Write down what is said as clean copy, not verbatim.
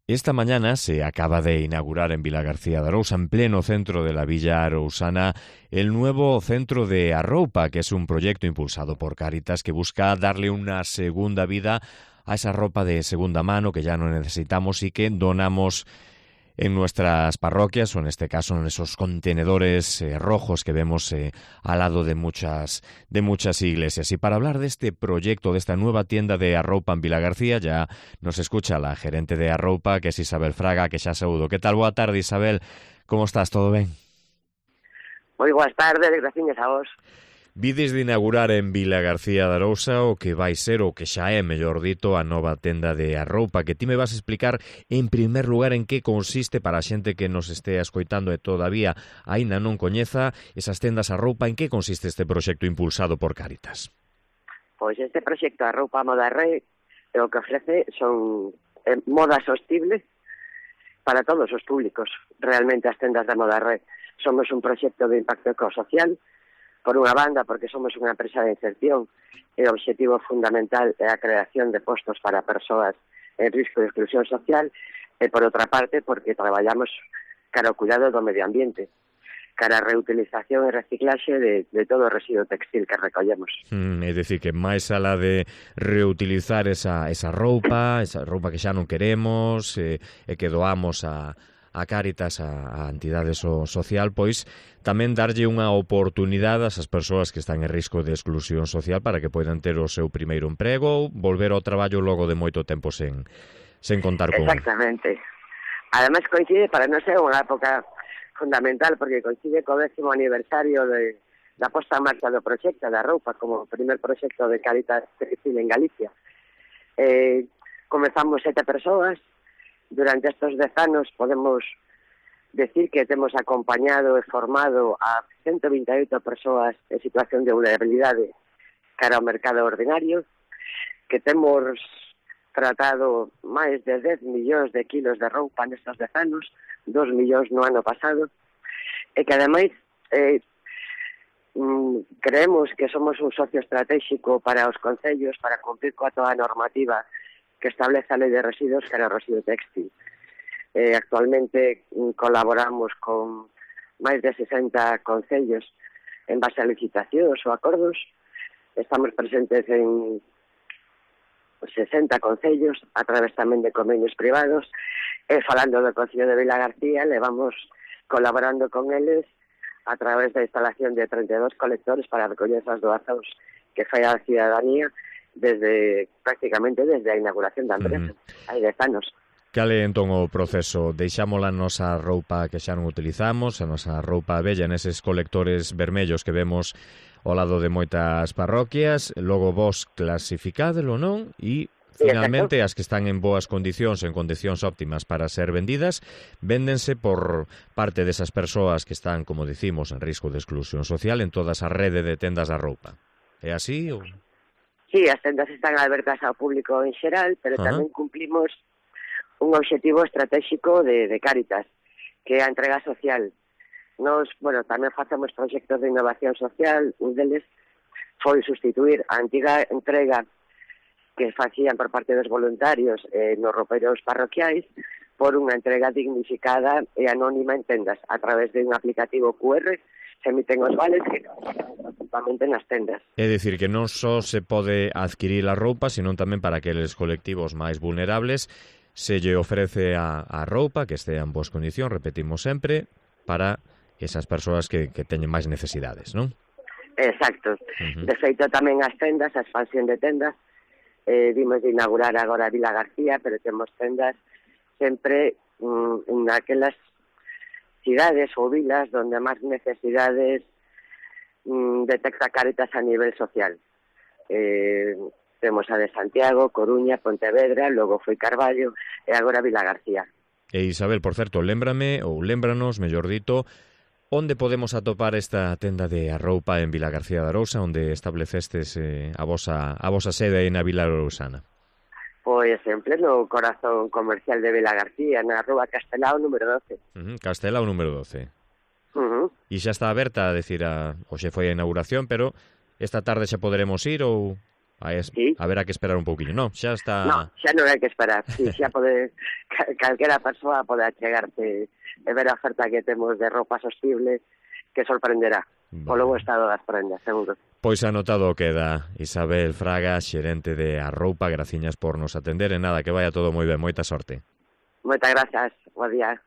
Esta mañana se acaba de inaugurar en Vilagarcía de Arousa, en pleno centro de la Villa Arousana, el nuevo centro de Arroupa, que es un proyecto impulsado por Cáritas que busca darle una segunda vida a esa ropa de segunda mano que ya no necesitamos y que donamos en nuestras parroquias, o en este caso en esos contenedores rojos que vemos al lado de muchas iglesias. Y para hablar de este proyecto, de esta nueva tienda de Arroupa en Vilagarcía, ya nos escucha la gerente de Arroupa, que es Isabel Fraga, que xa saúdo. Que tal? Boa tarde, Isabel. Como estás? Todo ben? Moi boas tardes, graciñas a vos. Vides de inaugurar en Vilagarcía de Arousa o que vai ser, o que xa é, mellor dito, a nova tenda de Arroupa, que ti me vas a explicar en primer lugar en que consiste para a xente que nos estea escoitando e todavía aínda non coñeza esas tendas Arroupa, en que consiste este proxecto impulsado por Cáritas. Pois este proxecto Arroupa Moda Re o que ofrece son moda sostible para todos os públicos. Realmente as tendas de Moda Re somos un proxecto de impacto ecosocial. Por unha banda, porque somos unha empresa de inserción e o objetivo fundamental é a creación de postos para persoas en risco de exclusión social, e por outra parte, porque traballamos cara ao cuidado do medio ambiente, cara a reutilización e reciclaxe de todo o residuo textil que recollemos. É dicir, que máis alá de reutilizar esa roupa que xa non queremos e que doamos a Cáritas, a entidade social, pois tamén darlle unha oportunidade a esas persoas que están en risco de exclusión social para que poidan ter o seu primeiro emprego ou volver ao traballo logo de moito tempo sen contar con... Exactamente. Ademais coincide, para non ser unha época fundamental, porque coincide co 10º aniversario da posta en marcha do proxecto da Arroupa como primer proxecto de Cáritas textil en Galicia. Comezamos 7 persoas. Durante estos 10 anos podemos decir que temos acompañado e formado a 128 persoas en situación de vulnerabilidade cara ao mercado ordinario, que temos tratado máis de 10 millóns de kilos de roupa nestes 10 anos, 2 millóns no ano pasado, e que ademais creemos que somos un socio estratégico para os concellos para cumprir coa toda a normativa que establece a Lei de Residuos cara ao residuo textil. Actualmente colaboramos con máis de 60 concellos en base a licitacións ou acordos. Estamos presentes en 60 concellos a través tamén de convenios privados. Falando do Concello de Vilagarcía, levamos colaborando con eles a través da instalación de 32 colectores para recoller esas doazóns que fai a cidadanía prácticamente desde a inauguración da empresa, hai 10 anos. Cal é entón o proceso? Deixamos a nosa roupa que xa non utilizamos, a nosa roupa bella neses colectores vermellos que vemos ao lado de moitas parroquias, logo vos clasificádelo, non? E finalmente as que están en boas condicións, en condicións óptimas para ser vendidas, véndense por parte desas persoas que están, como dicimos, en risco de exclusión social en toda esa rede de tendas da roupa. É así ou...? Sí, as tendas están abertas ao público en xeral, pero tamén cumplimos un obxectivo estratégico de Cáritas, que é a entrega social. Nos, tamén facemos proxectos de innovación social, un deles foi sustituir a antiga entrega que facían por parte dos voluntarios nos ropeiros parroquiais por unha entrega dignificada e anónima en tendas, a través de un aplicativo QR. Se emiten os vales que principalmente nas tendas. É dicir, que non só se pode adquirir a roupa, senón tamén para aqueles colectivos máis vulnerables se lle ofrece a roupa que estea en boas condicións, repetimos sempre, para esas persoas que teñen máis necesidades, non? Exacto. De feito, tamén as tendas, a expansión de tendas, dimos de inaugurar agora a Vilagarcía, pero temos tendas sempre naquelas cidades ou vilas donde máis necesidades detecta Cáritas a nivel social. Temos a de Santiago, Coruña, Pontevedra, logo foi Carballo e agora Vilagarcía. E Isabel, por certo, lémbranos, mellor dito, onde podemos atopar esta tenda de Arroupa en Vilagarcía de Arousa, onde establecestes a vosa sede aí na Vila Arousana? Pois en pleno corazón comercial de Vilagarcía, na rúa Castelao número 12. Castelao número 12. E xa está aberta, a decir, hoxe foi a inauguración, pero esta tarde xa poderemos ir ou... Sí. Haberá que esperar un pouquiño. Non, xa está... No, xa non hai que esperar. Sí, xa pode calquera persoa pode achegarte e ver a oferta que temos de roupa sostible que sorprenderá. Polo bo estado das prendas, seguro. Pois anotado queda. Isabel Fraga, xerente de Arroupa, graciñas por nos atender e nada, que vaya todo moi ben, moita sorte. Moitas grazas, bo día.